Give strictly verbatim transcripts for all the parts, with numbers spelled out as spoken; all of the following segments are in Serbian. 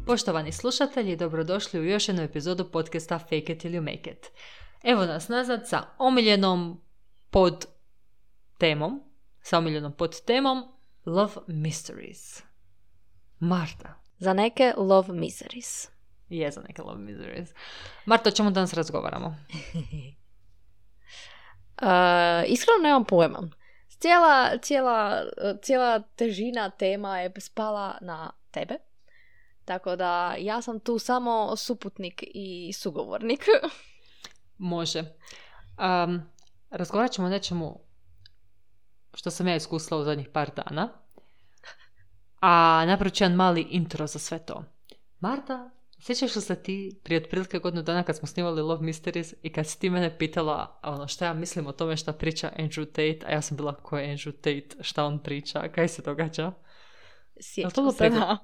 Poštovani slušatelji, dobrodošli u još jednu epizodu podcasta Fake it till you make it. Evo nas nazad sa omiljenom pod temom, sa omiljenom pod temom Love Mysteries. Marta. Za neke Love Miseries. Je za neke Love Miseries. Marta, o čemu danas razgovaramo? uh, iskreno nemam pojma. Cijela, cijela, cijela težina tema je spala na tebe. Tako da ja sam tu samo suputnik i sugovornik. Može. Um, razgovarat ćemo o nečemu što sam ja iskusila u zadnjih par dana. A napravit ću jedan mali intro za sve to. Marta, sjećaš li se ti prije otprilike godinu dana kad smo snimali Love Mysteries i kad si ti mene pitala ono šta ja mislim o tome šta priča Andrew Tate, a ja sam bila ko je Andrew Tate, šta on priča, kaj se događa? Sjećam se, da.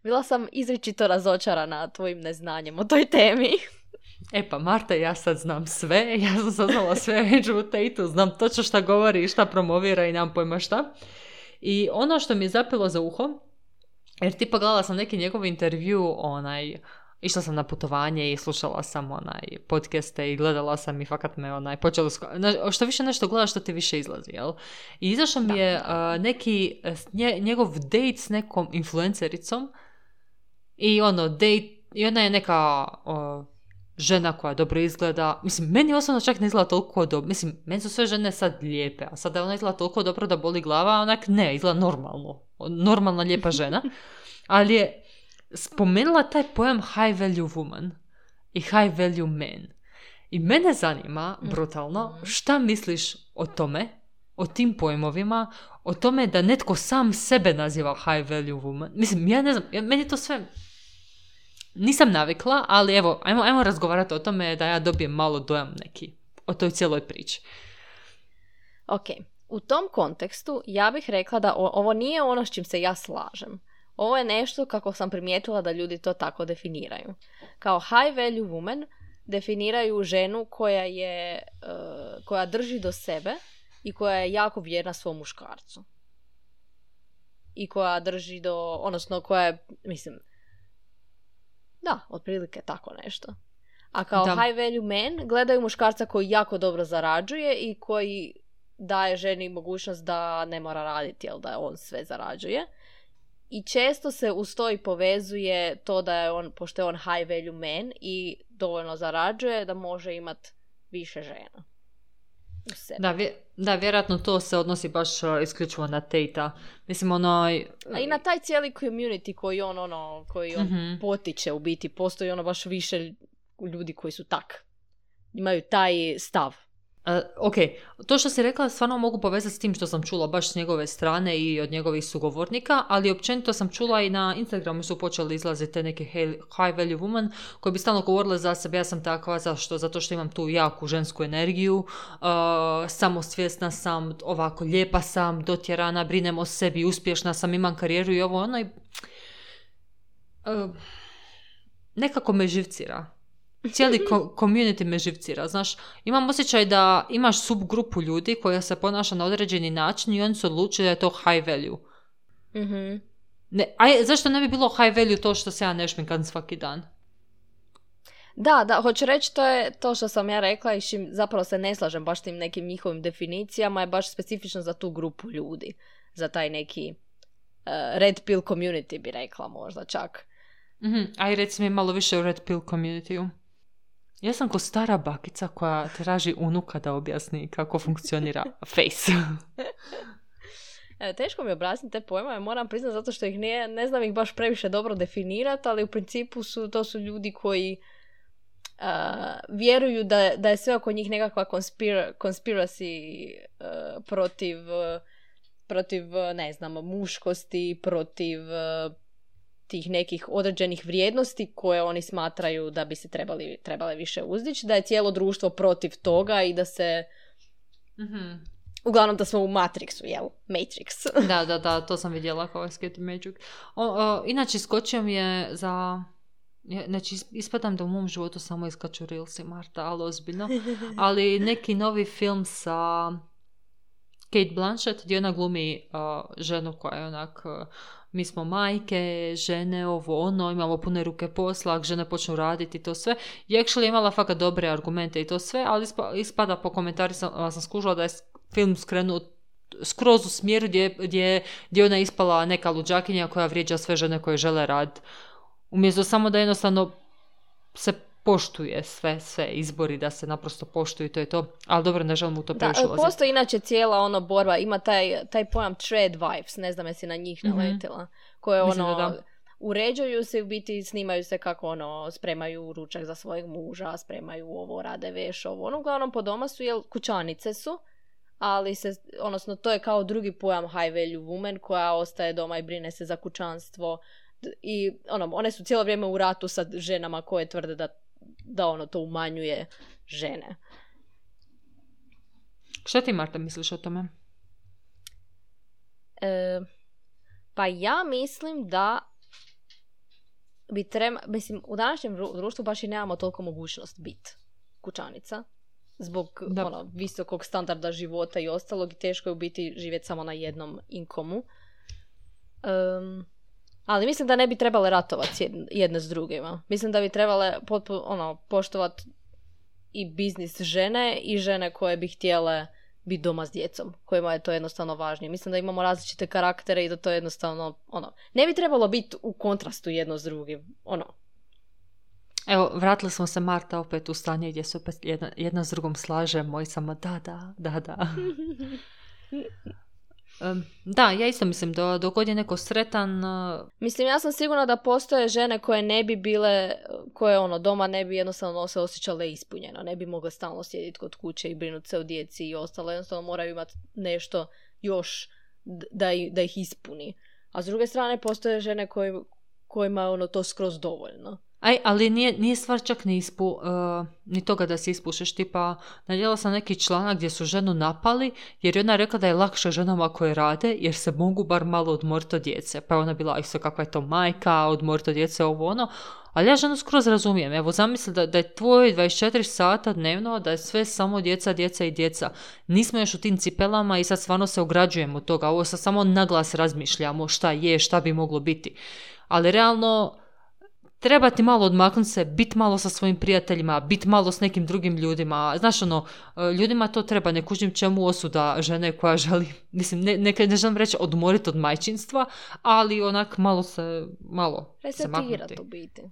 Bila sam izričito razočarana tvojim neznanjem o toj temi. E pa Marta, ja sad znam sve, ja sam saznala sve o Andrew Tateu, znam točno šta govori i šta promovira i nemam pojma šta. I ono što mi je zapelo za uho, jer tipa gledala sam neki njegov intervju, onaj, išla sam na putovanje i slušala sam onaj podcaste i gledala sam i fakat me onaj, počelo, sko- što više nešto gledaš što ti više izlazi, jel? I izašao mi je uh, neki, nje, njegov date s nekom influencericom i ono, date, i ona je neka uh, žena koja dobro izgleda, mislim, meni osobno čak ne izgleda toliko dobro, mislim, meni su sve žene sad lijepe, a sada ona izgleda toliko dobro da boli glava, a onak ne, izgleda normalno, normalna lijepa žena, ali je spomenula taj pojam high value woman i high value man. I mene zanima, brutalno, šta misliš o tome, o tim pojmovima, o tome da netko sam sebe naziva high value woman. Mislim, ja ne znam, ja, meni to sve nisam navikla, ali evo, ajmo, ajmo razgovarati o tome da ja dobijem malo dojam neki o toj cijeloj priči. Ok, u tom kontekstu ja bih rekla da o, ovo nije ono s čim se ja slažem. Ovo je nešto kako sam primijetila da ljudi to tako definiraju. Kao high value woman definiraju ženu koja je, uh, koja drži do sebe i koja je jako vjerna svom muškarcu. I koja drži do, odnosno koja je, mislim, da, otprilike tako nešto. A kao da. High value men gledaju muškarca koji jako dobro zarađuje i koji daje ženi mogućnost da ne mora raditi, jel da on sve zarađuje. I često se uz to i povezuje to da je on, pošto je on high value man i dovoljno zarađuje, da može imati više žena u sebi. Da, vje, da, vjerojatno to se odnosi baš uh, isključivo na Tate-a. Mislim, onaj... A i na taj cijeli community koji on, ono, koji on mm-hmm. potiče u biti. Postoji ono baš više ljudi koji su tak. Imaju taj stav. Uh, ok, to što si rekla stvarno mogu povezati s tim što sam čula baš s njegove strane i od njegovih sugovornika, ali općenito sam čula i na Instagramu su počeli izlaziti te neke high value woman koji bi stalno govorile za sebe, ja sam takva, zašto? Zato što imam tu jaku žensku energiju, uh, samosvjesna sam, ovako lijepa sam, dotjerana, brinem o sebi, uspješna sam, imam karijeru i ovo ono i uh, nekako me živcira. Cijeli ko- community me živcira, znaš, imam osjećaj da imaš subgrupu ljudi koja se ponaša na određeni način i oni su odlučili da je to high value. Mm-hmm. Ne, a zašto ne bi bilo high value to što se ja ne šminkam svaki dan? Da, da, hoću reći, to je to što sam ja rekla i šim zapravo se ne slažem baš tim nekim njihovim definicijama, je baš specifično za tu grupu ljudi, za taj neki uh, red pill community bi rekla možda čak. Mm-hmm. Aj reci mi malo više o red pill community-u. Ja sam ko stara bakica koja traži unuka da objasni kako funkcionira face. E, teško mi je objasniti te pojmove, moram priznati zato što ih ne, ne znam ih baš previše dobro definirati, ali u principu su, to su ljudi koji uh, vjeruju da, da je sve oko njih nekakva konspira, conspiracy uh, protiv, uh, protiv, ne znam, muškosti, protiv uh, tih nekih određenih vrijednosti koje oni smatraju da bi se trebali, trebale više uzdići, da je cijelo društvo protiv toga i da se... Mm-hmm. Uglavnom da smo u Matrixu, jel? Matrix. Da, da, da, to sam vidjela kao Escape Magic. O, o, inače, skočio mi je za... Znači, ispadam da u mom životu samo iskaču Reelsi, Marta, ali ozbiljno. Ali neki novi film sa Kate Blanchett, gdje ona glumi uh, ženu koja je onak... Uh, mi smo majke, žene, ovo ono, imamo pune ruke posla, ako žene počnu raditi i to sve. I actually imala fakat dobre argumente i to sve, ali ispada po komentari sam, sam skužila da je film skrenuo skroz u smjeru gdje, gdje, gdje ona ispala neka luđakinja koja vrijeđa sve žene koje žele raditi. Umjesto samo da jednostavno se poštuje sve, sve izbori, da se naprosto poštuju, to je to. Ali dobro, ne želim u to previše ulaziti. Da, postoji inače cijela ono borba, ima taj, taj pojam trad wives, ne znam jesi na njih naletila, mm-hmm. koje ono, da, da. uređuju se, u biti snimaju se kako ono, spremaju ručak za svojeg muža, spremaju ovo, rade veš, ovo, ono, uglavnom po doma su, jel, kućanice su, ali se, odnosno, to je kao drugi pojam high value woman koja ostaje doma i brine se za kućanstvo i ono, one su cijelo vrijeme u ratu sa ženama koje tvrde da da ono to umanjuje žene. Šta ti, Marta, misliš o tome? E, pa ja mislim da bi treba, mislim, u današnjem društvu baš i nemamo toliko mogućnost biti kućanica. Zbog ono, visokog standarda života i ostalog i teško je u biti živjeti samo na jednom inkomu. Um, Ali mislim da ne bi trebale ratovati jedne s drugima. Mislim da bi trebale potpuno, ono, poštovati i biznis žene i žene koje bi htjele biti doma s djecom, kojima je to jednostavno važnije. Mislim da imamo različite karaktere i da to jednostavno, ono, ne bi trebalo biti u kontrastu jedno s drugim, ono. Evo, vratili smo se, Marta, opet u stanje gdje se opet jedna, jedna s drugom slažemo i samo da, da, da, da. Um, da, ja isto mislim da dok god je neko sretan... Uh... Mislim, ja sam sigurna da postoje žene koje ne bi bile, koje ono, doma ne bi jednostavno se osjećale ispunjeno, ne bi mogle stalno sjediti kod kuće i brinuti se o djeci i ostalo, jednostavno moraju imati nešto još da, da ih ispuni. A s druge strane postoje žene koje, kojima je ono to skroz dovoljno. Aj, ali nije, nije stvar čak ni, ispu, uh, ni toga da se ispušeš. Tipa, nadjela sam neki članak gdje su ženu napali jer je ona rekla da je lakše ženama koje rade jer se mogu bar malo odmoriti od djece. Pa je ona bila, isto kakva je to majka, odmoriti od djece, ovo ono. Ali ja ženu skroz razumijem. Evo, zamisli da, da je tvoj dvadeset četiri sata dnevno, da je sve samo djeca, djeca i djeca. Nismo još u tim cipelama i sad stvarno se ograđujemo od toga. Ovo sad samo naglas razmišljamo šta je, šta bi moglo biti. Ali realno... Treba ti malo odmaknuti se, biti malo sa svojim prijateljima, biti malo s nekim drugim ljudima. Znaš, ono, ljudima to treba, ne kužim čemu osuda žene koja želi, mislim, ne, ne, ne želim reći odmoriti od majčinstva, ali onak malo se, malo se maknuti. Resetirati u biti.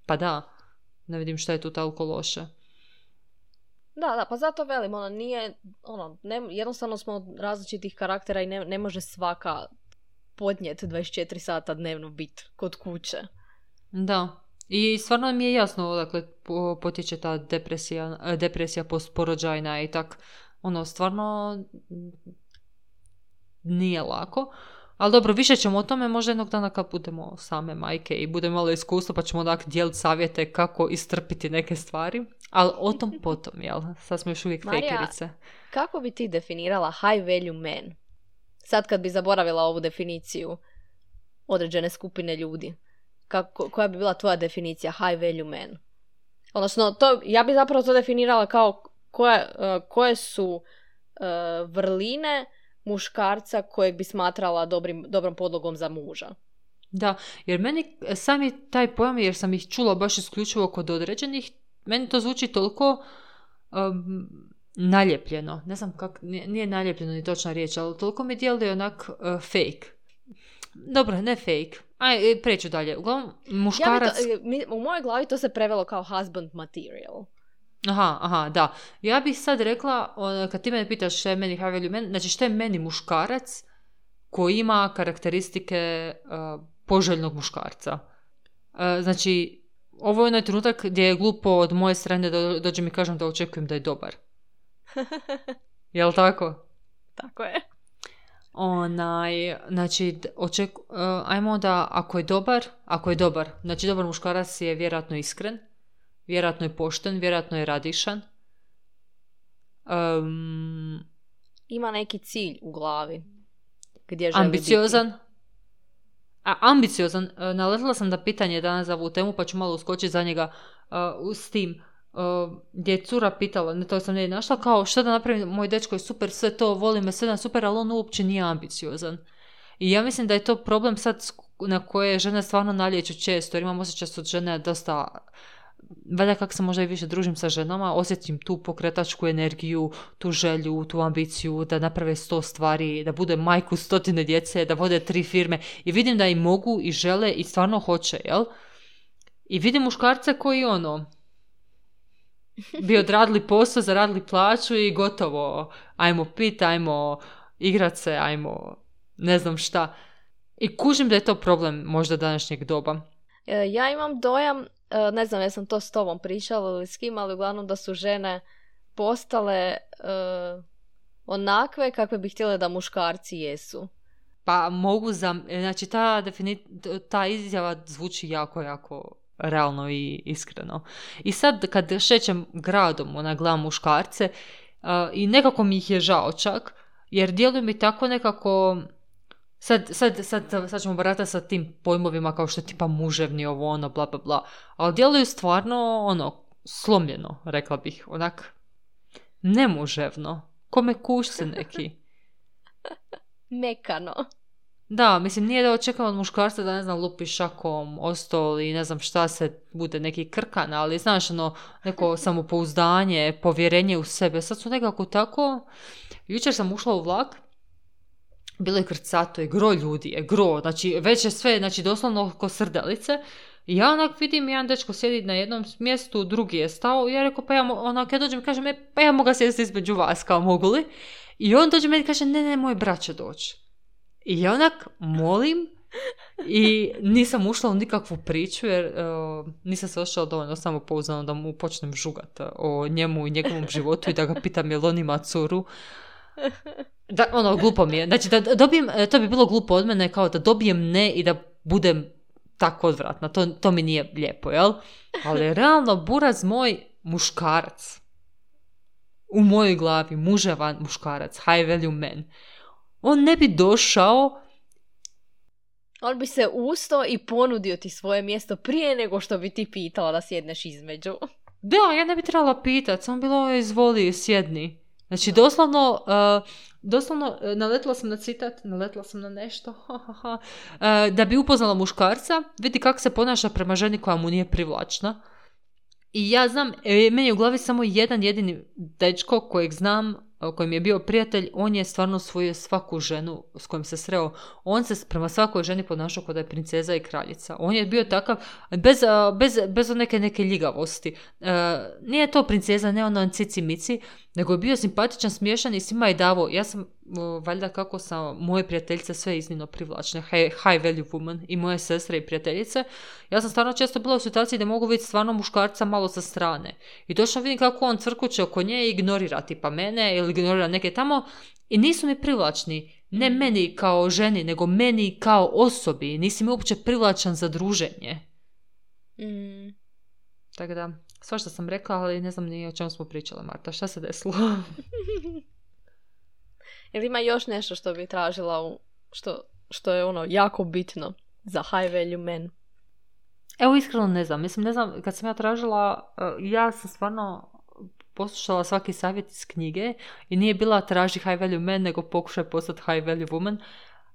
Pa da, ne vidim šta je tu toliko loše. Da, da, pa zato velim, ono, nije, ono, ne, jednostavno smo različitih karaktera i ne, ne može svaka podnijeti dvadeset četiri sata dnevno biti kod kuće. Da. I stvarno mi je jasno odakle potječe ta depresija, depresija postporođajna i tak, ono, stvarno nije lako. Ali dobro, više ćemo o tome možda jednog dana kad budemo same majke i budemo malo iskustvo pa ćemo onak dijeliti savjete kako istrpiti neke stvari. Ali o tom potom, jel? Sad smo još uvijek Marija, fejkerice. Kako bi ti definirala high value man? Sad kad bi zaboravila ovu definiciju određene skupine ljudi. Kako, koja bi bila tvoja definicija high value man? Odnosno, to, ja bi zapravo to definirala kao koje, uh, koje su uh, vrline muškarca kojeg bi smatrala dobrim, dobrom podlogom za muža. Da, jer meni sam je taj pojam, jer sam ih čula baš isključivo kod određenih, meni to zvuči toliko um, naljepljeno. Ne znam kako, nije, nije naljepljeno ni točna riječ, ali toliko mi djeluje onak uh, fake. Dobro, ne fake. Aj, preću dalje. Uglavnom, muškarac... Ja to, mi, u mojoj glavi to se prevelo kao husband material. Aha, aha, da. Ja bih sad rekla, kad ti mene pitaš šta je meni high value man, znači šta je meni muškarac koji ima karakteristike uh, poželjnog muškarca. Uh, znači, ovo je onaj trenutak gdje je glupo od moje strane da dođem i kažem da očekujem da je dobar. Jel' tako? Tako je. Onaj, znači, oček, uh, ajmo da ako je dobar, ako je dobar, znači dobar muškarac je vjerojatno iskren, vjerojatno je pošten, vjerojatno je radišan. Um, Ima neki cilj u glavi. Gdje želi ambiciozan. biti. A, ambiciozan. Uh, naletila sam da pitanje danas za ovu temu, pa ću malo uskočiti za njega uh, s tim. Uh, gdje je cura pitala, ne to sam ne našla, kao šta da napravim, moj dečko je super, sve to, voli me, sve da super, ali on uopće nije ambiciozan. I ja mislim da je to problem sad na koje žene stvarno nalječu često, jer imam osjećaj su žene dosta, valjda kako se možda i više družim sa ženama, osjetim tu pokretačku energiju, tu želju, tu ambiciju da naprave sto stvari, da bude majku stotine djece, da vode tri firme i vidim da i mogu i žele i stvarno hoće, jel? I vidim muškarce koji ono bi odradili posao, zaradili plaću i gotovo, ajmo pit, ajmo igrat se, ajmo ne znam šta. I kužim da je to problem možda današnjeg doba. Ja imam dojam, ne znam, ja sam to s tobom pričala ili s kim, ali uglavnom da su žene postale uh, onakve kakve bi htjele da muškarci jesu. Pa mogu za... Znači ta, defini- ta izjava zvuči jako, jako realno i iskreno. I sad kad šećem gradom, ona gledam muškarce uh, i nekako mi ih je žao čak, jer djeluju mi tako nekako... Sad, sad, sad, sad ćemo baratati sa tim pojmovima kao što je tipa muževni, ovo ono, bla bla bla. Ali djeluju stvarno, ono, slomljeno, rekla bih. Onak, nemuževno. Kome kušci neki. Mekano. Da, mislim, nije da očekam od muškarca da, ne znam, lupi šakom o stol i ne znam šta se bude neki krkan, ali znaš, ono, neko samopouzdanje, povjerenje u sebe. Sad su nekako tako... Jučer sam ušla u vlak, bilo je krcato, je gro ljudi, je gro, znači već je sve, znači doslovno ko srdelice. I ja onak vidim, jedan dečko sjedi na jednom mjestu, drugi je stao i ja rekao, pa ja onak, ja dođem i kažem, e, pa ja mogu sjesti između vas, kao mogu li? I on dođe meni i kaže, ne, ne, moj brat će doći. I ja onak molim i nisam ušla u nikakvu priču jer uh, nisam se osjećala dovoljno samopouzdano da mu počnem žugat o njemu i njegovom životu i da ga pitam jel on ima curu. Da, ono, glupo mi je. Znači, da dobijem, to bi bilo glupo od mene, kao da dobijem ne i da budem tako odvratna. To, to mi nije lijepo, jel? Ali realno, buraz moj muškarac. U mojoj glavi, muževan muškarac, high value man. On ne bi došao... On bi se ustao i ponudio ti svoje mjesto prije nego što bi ti pitala da sjedneš između. Da, ja ne bi trebala pitati, samo bilo izvoli, sjedni. Znači, doslovno, uh, doslovno uh, naletila sam na citat, naletila sam na nešto, uh, da bi upoznala muškarca, vidi kako se ponaša prema ženi koja mu nije privlačna. I ja znam, e, meni je u glavi samo jedan jedini dečko kojeg znam, kojim je bio prijatelj, on je stvarno osvojio svaku ženu s kojom se sreo. On se prema svakoj ženi ponašao kao da je princeza i kraljica. On je bio takav, bez, bez, bez neke, neke ljigavosti. Uh, nije to princeza, ne ono cici mici, nego je bio simpatičan, smiješan i svima je davo. Ja sam, uh, valjda kako sam, moje prijateljice sve iznimno privlačne, high, high value woman i moje sestre i prijateljice. Ja sam stvarno često bila u situaciji da mogu vidjeti stvarno muškarca malo sa strane. I točno vidim kako on crkuće oko nje i ignorira tipa mene ili ignorira neke tamo i nisu mi privlačni. Ne meni kao ženi, nego meni kao osobi. Nisi mi uopće privlačan za druženje. Mm. Tako da, svašta sam rekla, ali ne znam ni o čemu smo pričale, Marta. Šta se desilo? Jel ima još nešto što bi tražila, u, što, što je ono jako bitno za high value men? Evo, iskreno ne znam. Mislim, ne znam, kad sam ja tražila, ja sam stvarno poslušala svaki savjet iz knjige i nije bila traži high value man, nego pokušaj postati high value woman,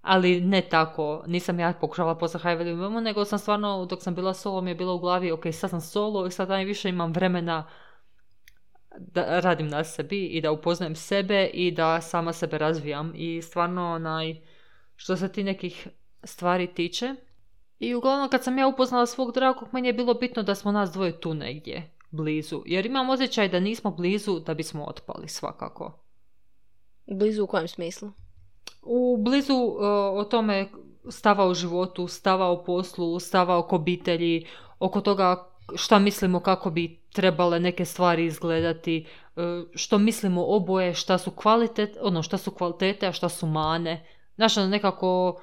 ali ne tako. Nisam ja pokušala postati high value woman, nego sam stvarno, dok sam bila solo, mi je bilo u glavi, ok, sad sam solo i sad najviše imam vremena da radim na sebi i da upoznajem sebe i da sama sebe razvijam i stvarno onaj, što se ti nekih stvari tiče. I uglavnom kad sam ja upoznala svog dragog, meni je bilo bitno da smo nas dvoje tu negdje blizu, jer imam osjećaj da nismo blizu da bismo otpali svakako. Blizu u kojem smislu? U blizu uh, o tome stava u životu, stava o poslu, stava oko obitelji, oko toga šta mislimo kako bi trebale neke stvari izgledati, uh, što mislimo oboje, šta su kvalitet, ono šta su kvalitete, a šta su mane. Znaš, nekako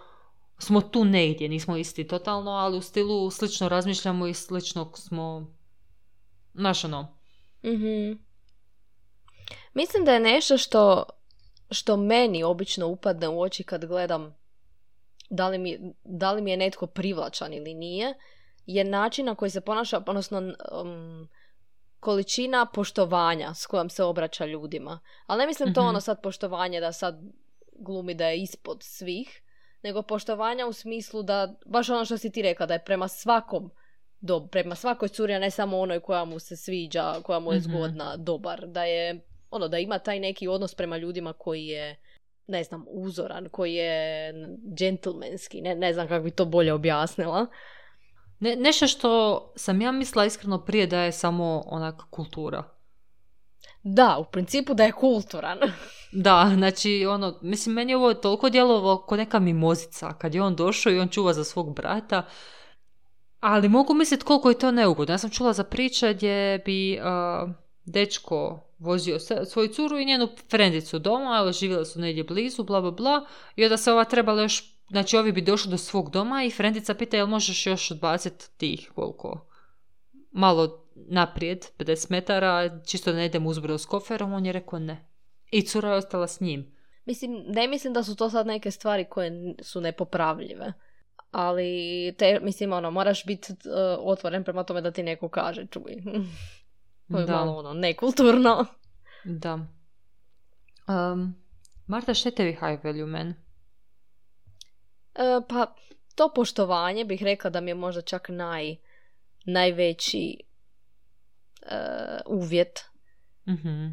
smo tu negdje, nismo isti totalno, ali u stilu slično razmišljamo i slično smo, znaš ono. Mm-hmm. Mislim da je nešto što, što meni obično upadne u oči kad gledam da li mi, da li mi je netko privlačan ili nije, je način na koji se ponaša, odnosno um, količina poštovanja s kojom se obraća ljudima. Ali ne mislim to mm-hmm. ono sad poštovanje da sad glumi da je ispod svih, nego poštovanja u smislu da, baš ono što si ti rekla, da je prema svakom do, prema svakoj curi, a ne samo onoj koja mu se sviđa, koja mu je zgodna, mm-hmm. dobar. Da je, ono, da ima taj neki odnos prema ljudima koji je, ne znam, uzoran, koji je džentlmenski, ne, ne znam kako bi to bolje objasnila. Ne, nešto što sam ja mislila iskreno prije da je samo onak kultura. Da, u principu da je kulturan. Da, znači, ono, mislim, meni je ovo toliko djelovalo kao neka mimozica, kad je on došao i on čuva za svog brata, ali mogu misliti koliko je to neugodno. Ja sam čula za priče gdje bi uh, dečko vozio svoju curu i njenu frendicu doma, živjeli su negdje blizu, bla, bla, bla, i onda se ova trebala još, znači, ovi bi došli do svog doma i frendica pita, jel možeš još odbaciti tih, koliko, malo naprijed, pedeset metara, čisto da ne idem uzbrdo s koferom, on je rekao ne. I cura je ostala s njim. Mislim, ne mislim da su to sad neke stvari koje su nepopravljive. Ali, te, mislim, ono, moraš biti uh, otvoren prema tome da ti neko kaže, čuj. To je malo, ono, nekulturno. Da. Um, Marta, šta je tebi high value man? Uh, pa, to poštovanje bih rekla da mi je možda čak naj, najveći uh, uvjet. Mhm.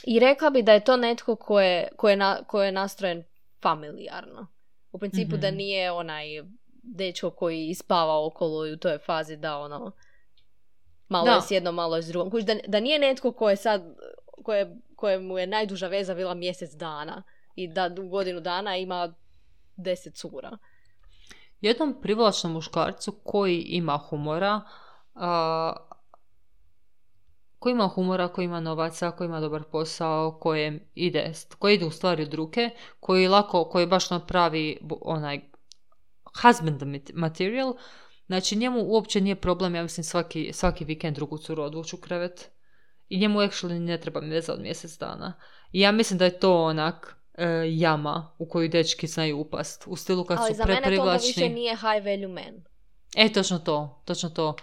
I rekla bi da je to netko ko je, ko je, na, ko je nastrojen familijarno. U principu mm-hmm. da nije onaj dečko koji spava okolo i u toj fazi da ono malo da. je s jednom, malo je s drugom. Da, da nije netko ko je sad, koje, kojemu je najduža veza bila mjesec dana i da u godinu dana ima deset cura. Jednom privlačnom muškarcu koji ima humora, a, koji ima humora, koji ima novaca, koji ima dobar posao, kojem ide, koji ide u stvari od ruke, koji lako, koji baš napravi onaj husband material, znači njemu uopće nije problem, ja mislim, svaki, svaki vikend drugu curu odvući u krevet i njemu actually ne treba veza od mjesec dana. I ja mislim da je to onak e, jama u koju dečki znaju upast, u stilu kad ali su preprivlačni. Ali za mene to više nije high value man. E, točno to, točno to.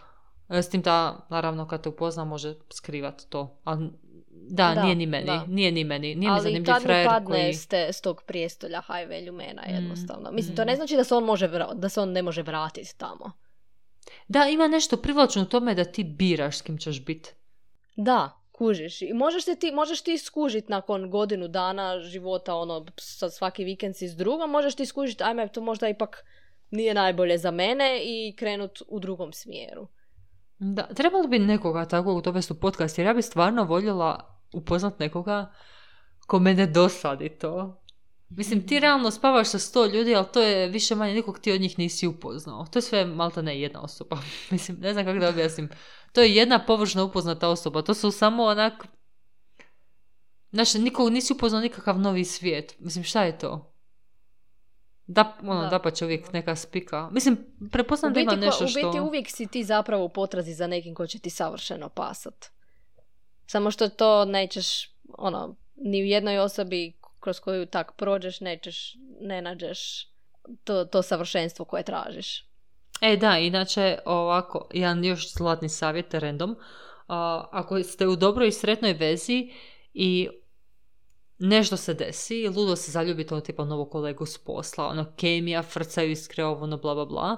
S tim da, naravno, kad te upozna, može skrivati to. Ali, da, da, nije ni meni. Da. Nije ni meni. Nije mi zanimljiv frajer koji... Ali tad mi padne koji... s tog prijestolja high value mana, jednostavno. Mm, Mislim, to ne znači da se on, može vra... da se on ne može vratiti tamo. Da, ima nešto privlačno u tome da ti biraš s kim ćeš biti. Da, kužiš. I možeš, se ti, možeš ti skužiti nakon godinu dana života, ono, sad svaki vikend si s drugom, možeš ti skužiti, ajme, to možda ipak nije najbolje za mene i krenut u drugom smjeru. Da, trebalo bi nekoga takvog dovesti u podcast, jer ja bi stvarno voljela upoznat nekoga ko mene dosadi to. Mislim, ti realno spavaš sa sto ljudi, ali to je više manje nikog ti od njih nisi upoznao. To je sve malta ne jedna osoba. Mislim, ne znam kako da objasnim. To je jedna površno upoznata osoba. To su samo onak... Znači, nikog nisi upoznao nikakav novi svijet. Mislim, šta je to? Da, ono, da. da pa će uvijek neka spika. Mislim, prepoznam da ima nešto što... U biti uvijek si ti zapravo u potrazi za nekim ko će ti savršeno pasat. Samo što to nećeš, ono, ni u jednoj osobi kroz koju tak prođeš, nećeš, ne nađeš to, to savršenstvo koje tražiš. E da, inače, ovako, jedan još zlatni savjet, random. Uh, ako ste u dobroj i sretnoj vezi i nešto se desi, ludo se zaljubite ono tipa novog kolegu s posla, ono kemija, frcaju iskre, ovo, ono bla bla bla.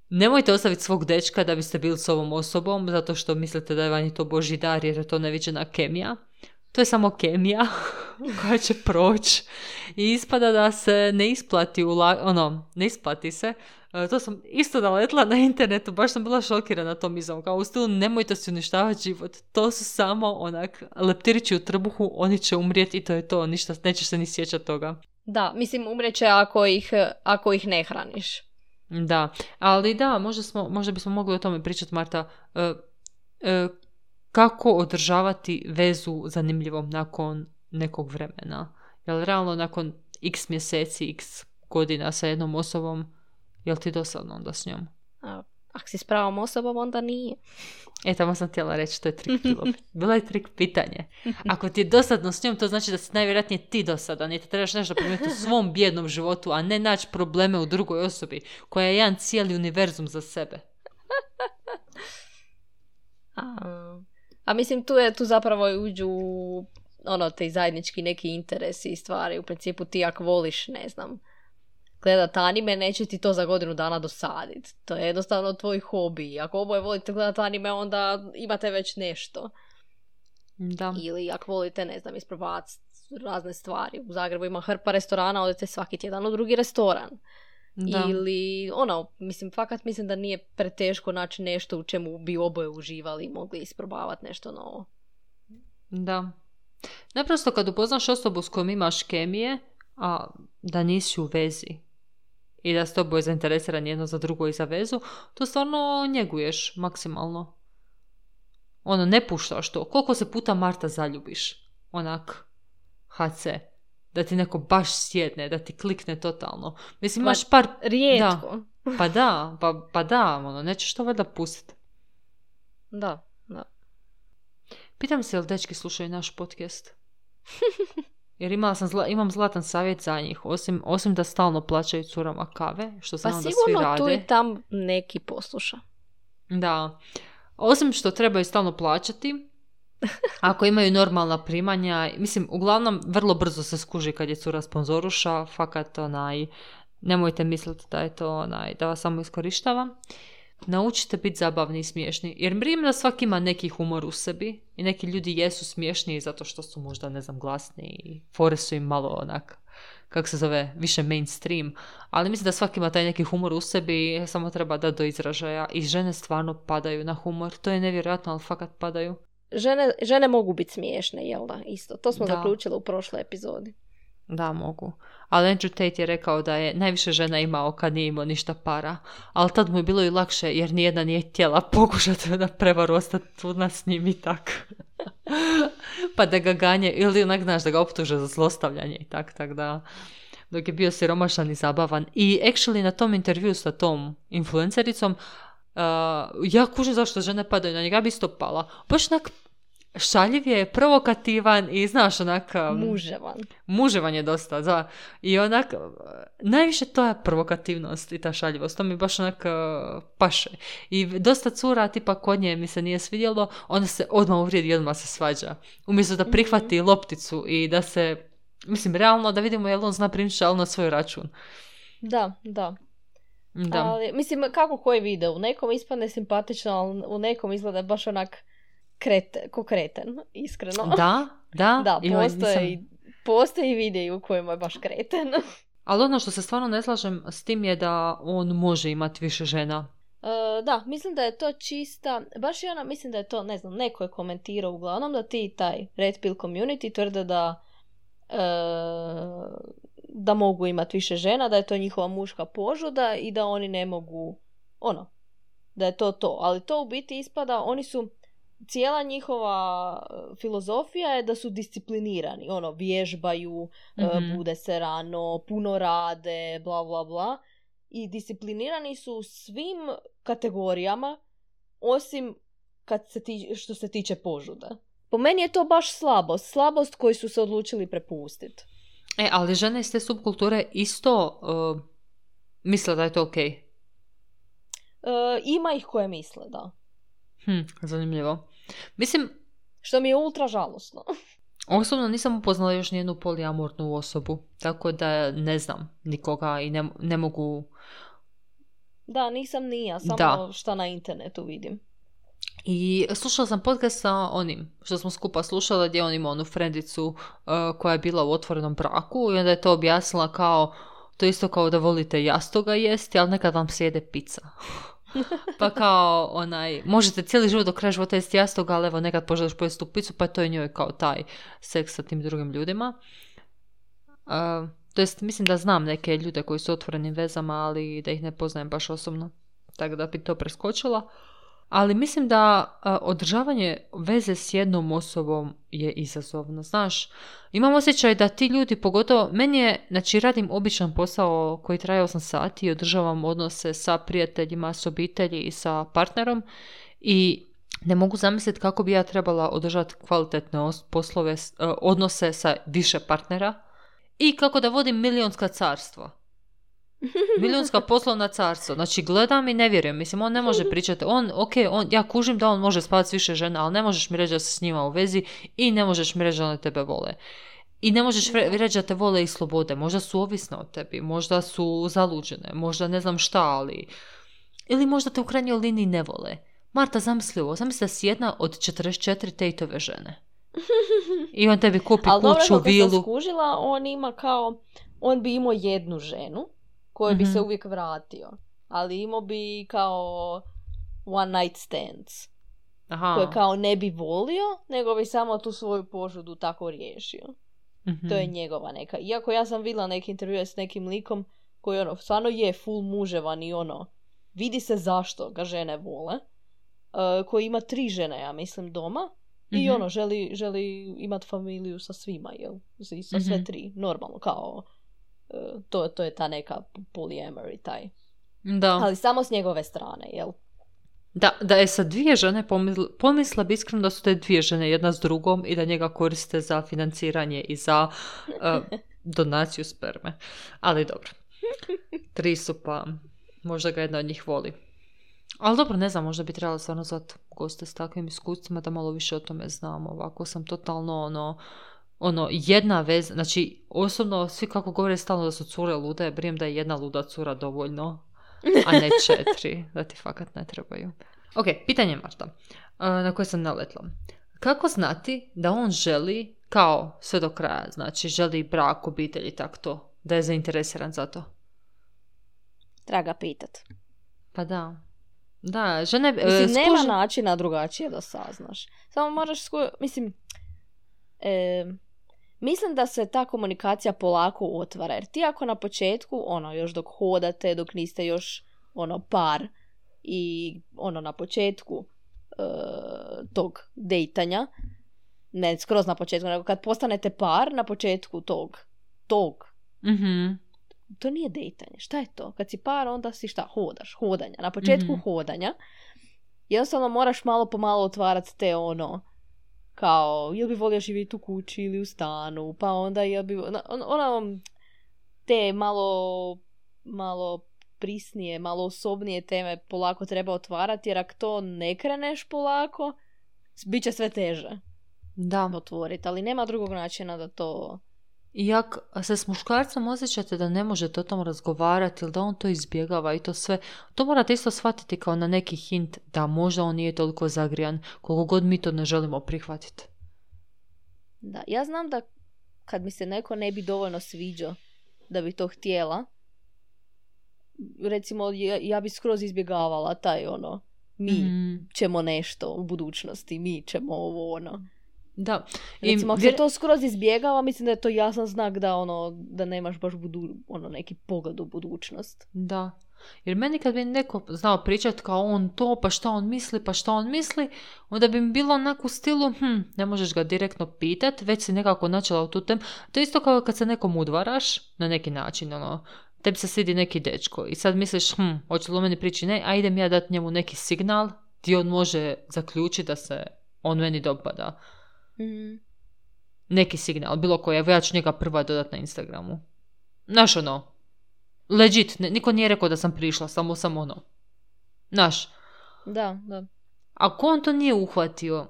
Nemojte ostaviti svog dečka da biste bili s ovom osobom, zato što mislite da je vani to božji dar, jer je to neviđena kemija. To je samo kemija koja će proći i ispada da se ne isplati, ula- ono, ne isplati se. E, to sam isto naletla na internetu, baš sam bila šokirana tom izom, kao u stilu nemojte si uništavati život, to su samo onak leptirići u trbuhu, oni će umrijeti i to je to, ništa, nećeš se ni sjećati toga. Da, mislim umrijeće ako ih, ako ih ne hraniš. Da, ali da, možda, smo, možda bismo mogli o tome pričati, Marta, e, e, kako održavati vezu zanimljivom nakon nekog vremena. Jel realno nakon x mjeseci, x godina sa jednom osobom, jel ti dosadno onda s njom? A, ako si s pravom osobom, onda nije. E, tamo sam htjela reći, to je trik bilo. Bilo je trik pitanje. Ako ti je dosadno s njom, to znači da si najvjerojatnije ti dosadan i te trebaš nešto promijeniti u svom bijednom životu, a ne naći probleme u drugoj osobi, koja je jedan cijeli univerzum za sebe. A, a mislim, tu je tu zapravo uđu ono, te zajednički neki interesi i stvari. U principu ti ako voliš, ne znam, gledat anime, neće ti to za godinu dana dosaditi. To je jednostavno tvoj hobi. Ako oboje volite gledat anime, onda imate već nešto. Da. Ili ako volite, ne znam, isprobavati razne stvari. U Zagrebu ima hrpa restorana, odete svaki tjedan u drugi restoran. Da. Ili, ono, mislim, fakat mislim da nije preteško naći nešto u čemu bi oboje uživali i mogli isprobavati nešto novo. Da. Naprosto kad upoznaš osobu s kojom imaš kemije, a da nisi u vezi i da ste oboje zainteresirani jedno za drugo i za vezu, to stvarno njeguješ maksimalno. Ono, ne puštaš to. Koliko se puta Marta zaljubiš? Onak, ha ce. Da ti neko baš sjedne, da ti klikne totalno. Mislim, imaš par... Rijetko. Da. Pa da, pa, pa da, ono, nećeš to valjda pustiti. Da, da. Pitam se, jel dečki slušaju naš podcast? Jer imala sam zla, imam zlatan savjet za njih, osim, osim da stalno plaćaju curama kave, što znam pa da svi sigurno rade. tu i tam neki posluša. Da. Osim što trebaju stalno plaćati, ako imaju normalna primanja, mislim, uglavnom vrlo brzo se skuži kad je cura sponzoruša, fakat onaj, nemojte misliti da je to onaj, da vas samo iskorištava. Naučite biti zabavni i smiješni, jer vjerujem da svaki ima neki humor u sebi i neki ljudi jesu smiješniji zato što su možda, ne znam, glasni i fore su im malo onak, kako se zove, više mainstream, ali mislim da svaki ima taj neki humor u sebi, samo treba da do izražaja i žene stvarno padaju na humor, to je nevjerojatno, ali fakat padaju. Žene, žene mogu biti smiješne, jel da? Isto. To smo da. zaključili u prošloj epizodi. Da, mogu. Ali Andrew Tate je rekao da je najviše žena imao kad nije imao ništa para. Ali tad mu je bilo i lakše jer nijedna nije htjela pokušati da prevaru ostati trudna s njim i tak. Pa da ga ganje, ili onak znaš da ga optuže za zlostavljanje i tak, tak da... Dok je bio siromašan i zabavan. I actually na tom intervju sa tom influencericom Uh, ja kužim zašto žene padaju na njega, ja bi isto pala. Baš onak šaljiv je, provokativan i znaš onak... Um, muževan. Muževan je dosta, da. I onak, najviše to je provokativnost i ta šaljivost. To mi baš onak uh, paše. I dosta cura, tipa kod nje mi se nije svidjelo, onda se odmah uvrijedi i odmah se svađa. Umjesto da prihvati mm-hmm. lopticu i da se, mislim, realno da vidimo jel on zna primiti šal na svoj račun. Da, da. Da. Ali, mislim, kako koji video? U nekom ispadne simpatično, ali u nekom izgleda baš onak krete, ko kreten, iskreno. Da, da. Da, Ima, postoje, nisam... postoje videi u kojima je baš kreten. Ali ono što se stvarno ne slažem s tim je da on može imati više žena. Uh, da, mislim da je to čista, baš je ona, mislim da je to, ne znam, neko je komentirao uglavnom da ti taj Red Pill community tvrde da uh, da mogu imati više žena, da je to njihova muška požuda i da oni ne mogu, ono, da je to to. Ali to u biti ispada, oni su, cijela njihova filozofija je da su disciplinirani, ono, vježbaju, mm-hmm. bude se rano, puno rade, bla, bla, bla. I disciplinirani su u svim kategorijama, osim kad se ti, što se tiče požuda. Po meni je to baš slabost, slabost koju su se odlučili prepustiti. E, ali žene iz te subkulture isto uh, misle da je to okej. Okay. Uh, ima ih koje misle, da. Hm, zanimljivo. Mislim... Što mi je ultra žalosno. Osobno nisam upoznala još nijednu polijamornu osobu, tako da ne znam nikoga i ne, ne mogu... Da, nisam ni ja, samo da. Šta na internetu vidim. I slušala sam podcast sa onim što smo skupa slušala gdje on ima onu frendicu uh, koja je bila u otvorenom braku i onda je to objasnila kao, to isto kao da volite jastoga jesti, ali nekad vam sjede pizza. Pa kao onaj, možete cijeli život do kraja života jesti jastoga, ali evo nekad poželiš pojesti tu pizzu, pa to je njoj kao taj seks sa tim drugim ljudima. Uh, to jest, mislim da znam neke ljude koji su u otvorenim vezama, ali da ih ne poznajem baš osobno, tako da bi to preskočila. Ali mislim da uh, održavanje veze s jednom osobom je izazovno. Znaš, imam osjećaj da ti ljudi, pogotovo, meni je, znači radim običan posao koji traje osam sati i održavam odnose sa prijateljima, s obitelji i sa partnerom i ne mogu zamisliti kako bi ja trebala održati kvalitetne os- poslove, uh, odnose sa više partnera i kako da vodim milionska carstva. Milijunska poslovna carstva. Znači, gledam i ne vjerujem. Mislim, on ne može pričati. On, ok, on, ja kužim da on može spavati s više žena, ali ne možeš mi reći da si s njima u vezi i ne možeš mi reći da one tebe vole. I ne možeš re- reći da te vole i slobode. Možda su ovisne od tebi, možda su zaluđene, možda ne znam šta, ali... Ili možda te u krajnjoj liniji ne vole. Marta, zamisli ovo, zamisli da si jedna od četrdeset četiri Tateove žene. I on tebi kupi ali kuću, dobro, vilu. Ali sam skužila, on ima kao... On bi imao jednu ženu kojoj bi Mhm. se uvijek vratio. Ali imao bi kao one night stands. Aha. Koje kao ne bi volio, nego bi samo tu svoju požudu tako riješio. Mhm. To je njegova neka. Iako ja sam vidjela neke intervjue s nekim likom koji ono, stvarno je full muževan i ono, vidi se zašto ga žene vole. Uh, koji ima tri žene, ja mislim, doma. I Mhm. ono, želi, želi imati familiju sa svima, jel? I sa sve Mhm. tri. Normalno, kao uh, to, to je ta neka polyamory taj. Da. Ali samo s njegove strane, jel? Da, da je sa dvije žene, pomisla, pomisla bi iskreno da su te dvije žene jedna s drugom i da njega koriste za financiranje i za uh, donaciju sperme. Ali dobro. Tri su pa možda ga jedna od njih voli. Ali dobro, ne znam, možda bi trebalo stvarno zvati goste s takvim iskustvima da malo više o tome znamo. Ovako sam totalno ono, ono jedna veza, znači osobno svi kako govore stalno da su cure lude, brijem da je jedna luda cura dovoljno, a ne četiri, da ti fakat ne trebaju. Ok, pitanje Marta, uh, na koje sam naletla. Kako znati da on želi kao sve do kraja, znači želi brak, obitelj i tako to, da je zainteresiran za to? Treba ga pitat. Pa da. Da, žene... Mislim, uh, nema skuži- načina drugačije da saznaš. Samo moraš sku... Mislim, e, mislim da se ta komunikacija polako otvara. Jer ti ako na početku, ono, još dok hodate, dok niste još, ono, par i, ono, na početku e, tog dejtanja, ne skroz na početku, nego kad postanete par, na početku tog, tog, Mhm. to nije dejtanje. Šta je to? Kad si par, onda si šta? Hodaš. Hodanja. Na početku Mhm. hodanja jednostavno moraš malo po malo otvarati te ono kao, jel bi volio živjeti u kući ili u stanu, pa onda jel bi... Ono, ono te malo malo prisnije, malo osobnije teme polako treba otvarati, jer ako to ne kreneš polako, bit će sve teže Da. otvoriti. Ali nema drugog načina da to... I ako se s muškarcem osjećate da ne možete o tom razgovarati ili da on to izbjegava i to sve, to morate isto shvatiti kao na neki hint da možda on nije toliko zagrijan koliko god mi to ne želimo prihvatiti. Da, ja znam da kad mi se neko ne bi dovoljno sviđao da bi to htjela, recimo ja, ja bi skroz izbjegavala taj ono, mi Mm, ćemo nešto u budućnosti, mi ćemo ovo ono. da. I Recimo ako vjer- se to skroz izbjegava, mislim da je to jasan znak da ono, da nemaš baš budu, ono, neki pogled u budućnost. Da. Jer meni kad bi neko znao pričati kao on to, pa šta on misli, pa šta on misli, onda bi mi bilo onako u stilu, hm, ne možeš ga direktno pitat, već si nekako načela u tu temu. To je isto kao kad se nekom udvaraš, na neki način, ono, tebi se svidi neki dečko i sad misliš, hm, hoće li o meni prići, ne, a idem ja dati njemu neki signal gdje on može zaključiti da se on meni dopada. Mm. Neki signal, bilo koji, evo ja ću njega prva dodat na Instagramu. Znaš ono, legit, ne, niko nije rekao da sam prišla, samo sam ono. Znaš, Da, da. ako on to nije uhvatio,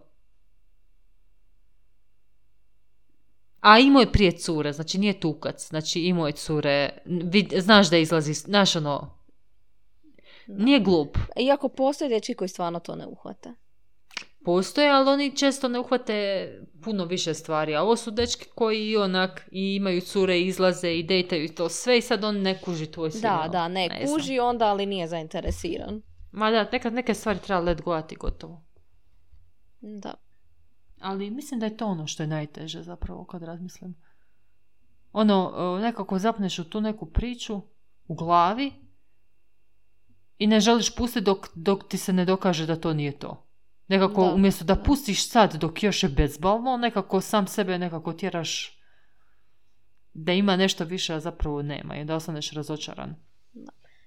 a imao je prije cure, znači nije tukac, znači imao je cure, vid, znaš da izlazi, znaš ono, nije glup. Iako postoje dječji koji stvarno to ne uhvate. Postoje, ali oni često ne uhvate puno više stvari, a ovo su dečki koji onak i imaju cure, izlaze i dejtaju i to sve i sad on ne kuži tvoj signal. Da, da, ne, Ne znam. kuži onda, ali nije zainteresiran. Ma da, nekad neke stvari treba let gojati gotovo. Da. Ali mislim da je to ono što je najteže zapravo kad razmislim. Ono, e, nekako zapneš u tu neku priču u glavi i ne želiš pustiti dok, dok ti se ne dokaže da to nije to. Nekako Da, umjesto da da. pustiš sad dok još je bezbalno, nekako sam sebe nekako tjeraš da ima nešto više, a zapravo nema i da ostaneš razočaran.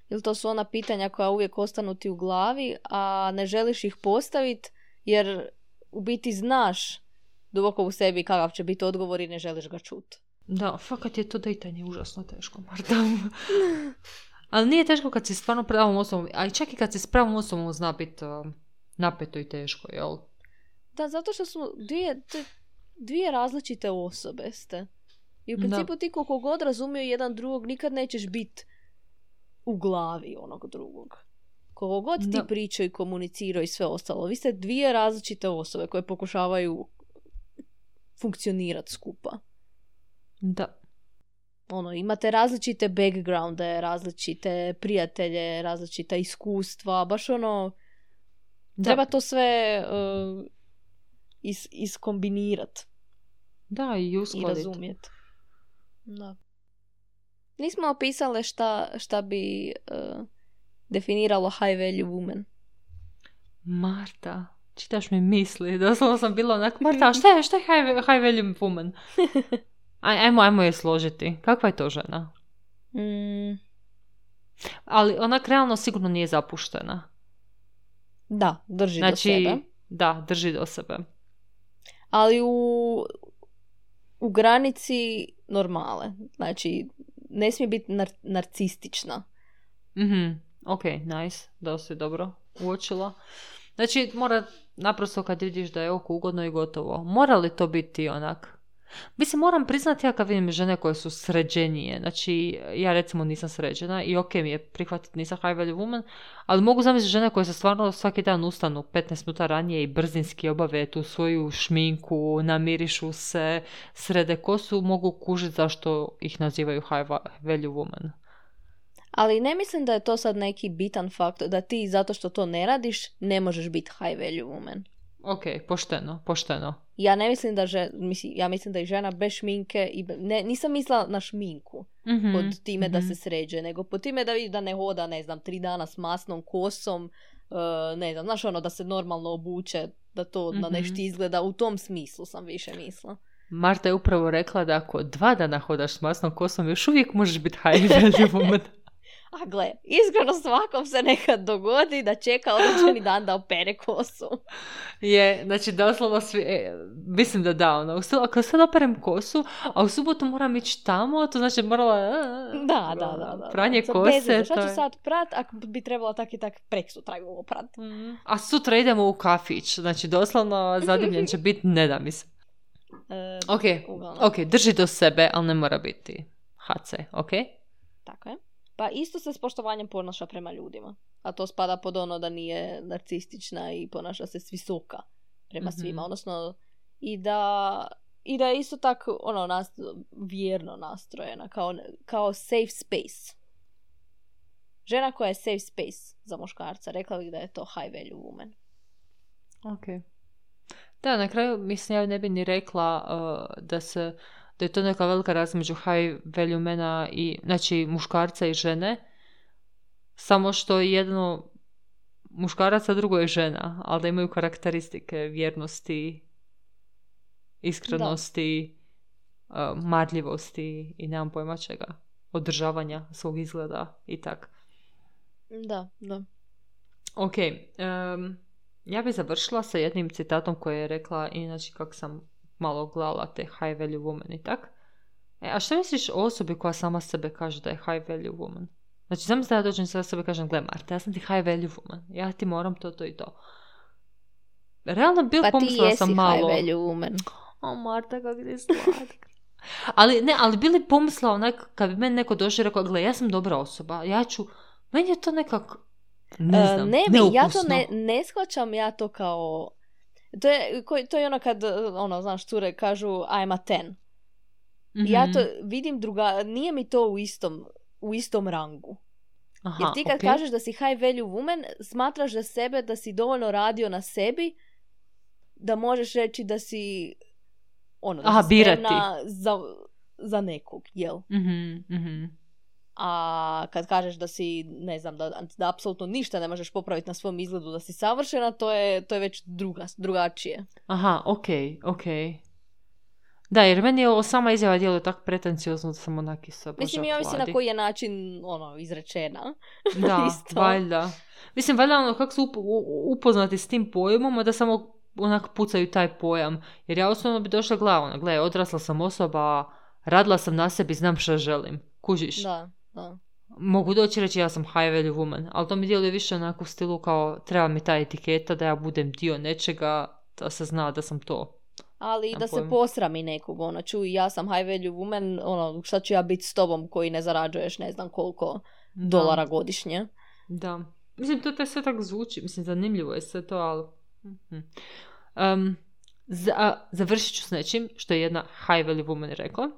Ili to su ona pitanja koja uvijek ostanu ti u glavi, a ne želiš ih postaviti jer u biti znaš duboko u sebi kakav će biti odgovor i ne želiš ga čuti. Da, fakat je to dejtanje užasno teško, Marta. Ali nije teško kad si s stvarno pravom osobom, a i čak i kad si s pravom osobom zna biti uh, napeto i teško, jel? Da, zato što su dvije, te- dvije različite osobe ste. I u principu ti koliko god razumiju jedan drugog, nikad nećeš biti u glavi onog drugog. Koliko god ti da. pričaju i komuniciraju i sve ostalo. Vi ste dvije različite osobe koje pokušavaju funkcionirati skupa. Da. Ono, imate različite backgrounde, različite prijatelje, različita iskustva, baš ono, da. treba to sve uh, is, iskombinirati. Da, i uskladiti. I razumjeti. Da. Nismo opisale šta, šta bi uh, definiralo high value woman. Marta, čitaš mi misli. Doslovno sam bila onak, Marta, šta je, šta je high, high value woman? Aj, ajmo, ajmo je složiti. Kakva je to žena? Mm. Ali onak realno sigurno nije zapuštena. Da, drži znači, do sebe. Da, drži do sebe. Ali u, u granici normale. Znači, ne smije biti nar- narcistična. Mhm, ok, nice. Da si dobro uočila. Znači, mora naprosto kad vidiš da je oko ugodno i gotovo. Mora li to biti onak? Mislim, moram priznati ja kad vidim žene koje su sređenije. Znači, ja recimo nisam sređena i ok mi je prihvatiti nisam high value woman, ali mogu zamisliti žene koje se stvarno svaki dan ustanu petnaest minuta ranije i brzinski obave tu svoju šminku, namirišu se, srede kosu, mogu kužiti zašto ih nazivaju high value woman. Ali ne mislim da je to sad neki bitan faktor, da ti zato što to ne radiš ne možeš biti high value woman. Ok, pošteno, pošteno. Ja ne mislim da že, mislim, ja mislim da je žena bez šminke i be, ne, nisam mislila na šminku mm-hmm, pod time mm-hmm. da se sređe, nego pod time da vidi da ne hoda, ne znam, tri dana s masnom kosom, uh, ne znam, znaš ono da se normalno obuče, da to mm-hmm. na nešto izgleda, u tom smislu sam više mislila. Marta je upravo rekla da ako dva dana hodaš s masnom kosom, još uvijek možeš biti high value woman. A gle, iskreno svakom se nekad dogodi da čeka određeni dan da opere kosu. Je, znači doslovno svi, e, mislim da da, ono, ako sad operem kosu, a u subotu moram ići tamo, to znači morala da, da, da, da, pranje da. kose. Šta ću je... sad prat, ako bi trebalo tak i tak prek sutra ju oprat. Mm. A sutra idemo u kafić, znači doslovno zadivljen će biti, ne da mi se. E, ok, ok, drži do sebe, ali ne mora biti ha ce, ok? Tako je. Pa isto se s poštovanjem ponaša prema ljudima. A to spada pod ono da nije narcistična i ponaša se svisoka prema mm-hmm. svima. Odnosno, i da, i da je isto tako ono, nas, vjerno nastrojena. Kao, kao safe space. Žena koja je safe space za muškarca. Rekla bih da je to high value woman. Ok. Da, na kraju, mislim, ja ne bi ni rekla uh, da se... da je to neka velika razlika među high value mena i, znači, muškarca i žene, samo što jedno muškarac, a drugo je žena, ali da imaju karakteristike vjernosti, iskrenosti, uh, marljivosti i nemam pojma čega, održavanja svog izgleda i tak. Da, da. Ok, um, ja bih završila sa jednim citatom koje je rekla, inače kako sam malo gledala te high value woman i tak. E, a što misliš o osobi koja sama sebe kaže da je high value woman? Znači, znam da ja dođem sada sebe kažem, gle Marta, ja sam ti high value woman, ja ti moram to, to i to. Realno bil pa pomislila sam malo. Pa ti jesi high value woman. O Marta, kako ti slatka. ali ne, ali bili pomislila onak, kad bi meni neko došao i rekao, gle, ja sam dobra osoba, ja ću, meni je to nekak, ne znam, uh, ne bi, neukusno. Ja to ne, ne shvaćam, ja to kao... To je, to je ono kad, ono, znaš, cure kažu I'm a ten. Mm-hmm. Ja to vidim druga, nije mi to u istom, u istom rangu. Aha, jer ti kad okay. kažeš da si high value woman, smatraš da sebe, da si dovoljno radio na sebi, da možeš reći da si, ono, da Aha, si spremna za, za nekog, jel? Mhm, mhm. A kad kažeš da si, ne znam, da, da apsolutno ništa ne možeš popraviti na svom izgledu, da si savršena, to je, to je već druga, drugačije. Aha, ok, ok. Da, jer meni je ovo sama izjava djeluje tako pretenciozno da sam onaki sa Boža Mislim, ja mislim na koji je način ono, izrečena. Da, valjda. Mislim, valjda ono kako su up, upoznati s tim pojmom, da samo onak pucaju taj pojam. Jer ja osnovno bi došla glavno, gle, odrasla sam osoba, radila sam na sebi, znam što želim. Kužiš? Da. Da. Mogu doći reći ja sam high value woman, ali to mi djeluje više onako u stilu kao treba mi ta etiketa da ja budem dio nečega, da se zna da sam to. Ali i da se posrami nekog, ono, čuj, ja sam high value woman, ono, šta ću ja biti s tobom koji ne zarađuješ ne znam koliko da. dolara godišnje. Da. Mislim, to te sve tako zvuči, mislim, zanimljivo je sve to, ali... Um, za, završit ću s nečim što je jedna high value woman rekla.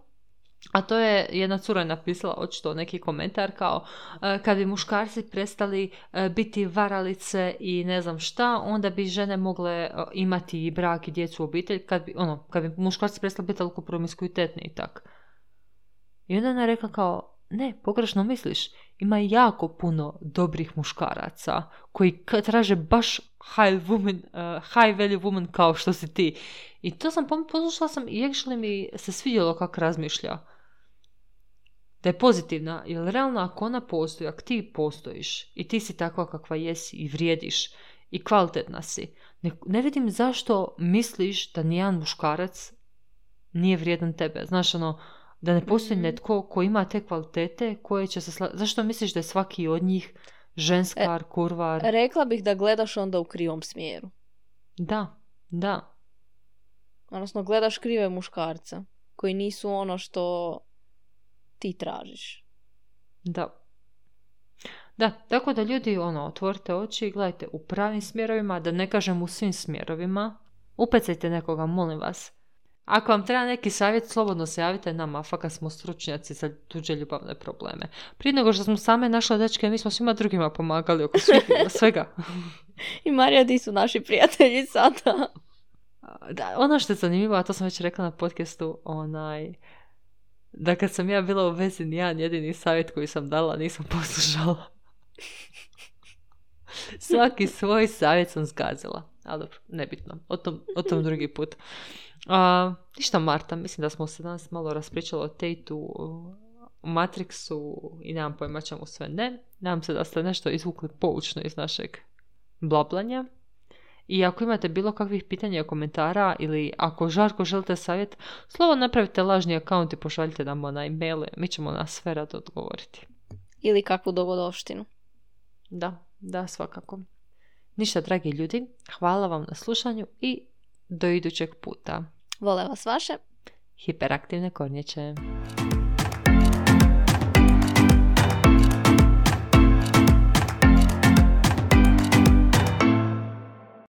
A to je, jedna cura je napisala očito neki komentar kao uh, kad bi muškarci prestali uh, biti varalice i ne znam šta, onda bi žene mogle uh, imati i brak i djecu u obitelj, kad bi, ono, kad bi muškarci prestali biti toliko promiskuitetni i tak. I onda je rekla kao, ne, pogrešno misliš, ima jako puno dobrih muškaraca koji traže baš high, woman, uh, high value woman kao što si ti. I to sam poslušala sam i actually mi se svidjelo kako razmišlja. Da je pozitivna, jer realno ako ona postoji, ako ti postojiš i ti si takva kakva jesi i vrijediš i kvalitetna si, ne, ne vidim zašto misliš da nijedan muškarac nije vrijedan tebe. Znaš, ono, da ne postoji netko ko ima te kvalitete koje će se... Sla... Zašto misliš da je svaki od njih ženskar, e, kurvar? Rekla bih da gledaš onda u krivom smjeru. Da, da. Odnosno, gledaš krive muškarca koji nisu ono što ti tražiš. Da. Da, tako da ljudi, ono, otvorite oči i gledajte u pravim smjerovima, da ne kažem u svim smjerovima. Upecajte nekoga, molim vas. Ako vam treba neki savjet, slobodno se javite nama, fakat smo stručnjaci za tuđe ljubavne probleme. Prije nego što smo same našle dečke, mi smo svima drugima pomagali oko svega. I Marija, di su naši prijatelji sada? Da, ono što je zanimljivo, a to sam već rekla na podcastu, onaj, da kad sam ja bila u vezi, nijedan jedini savjet koji sam dala nisam poslušala. Svaki svoj savjet sam zgazila. Ali dobro, nebitno. O tom, o tom drugi put. Uh, ništa, Marta, mislim da smo se danas malo raspričali o Tateu, u Matrixu i nemam pojma čemu sve ne. Nadam se da ste nešto izvukli poučno iz našeg blablanja. I ako imate bilo kakvih pitanja i komentara ili ako žarko želite savjet, slobodno napravite lažni akaunt i pošaljite nam na e-maile. Mi ćemo na sve rado odgovoriti. Ili kakvu dogodovštinu. Da, da, svakako. Ništa, dragi ljudi, hvala vam na slušanju i do idućeg puta. Vole vas vaše hiperaktivne kornjače.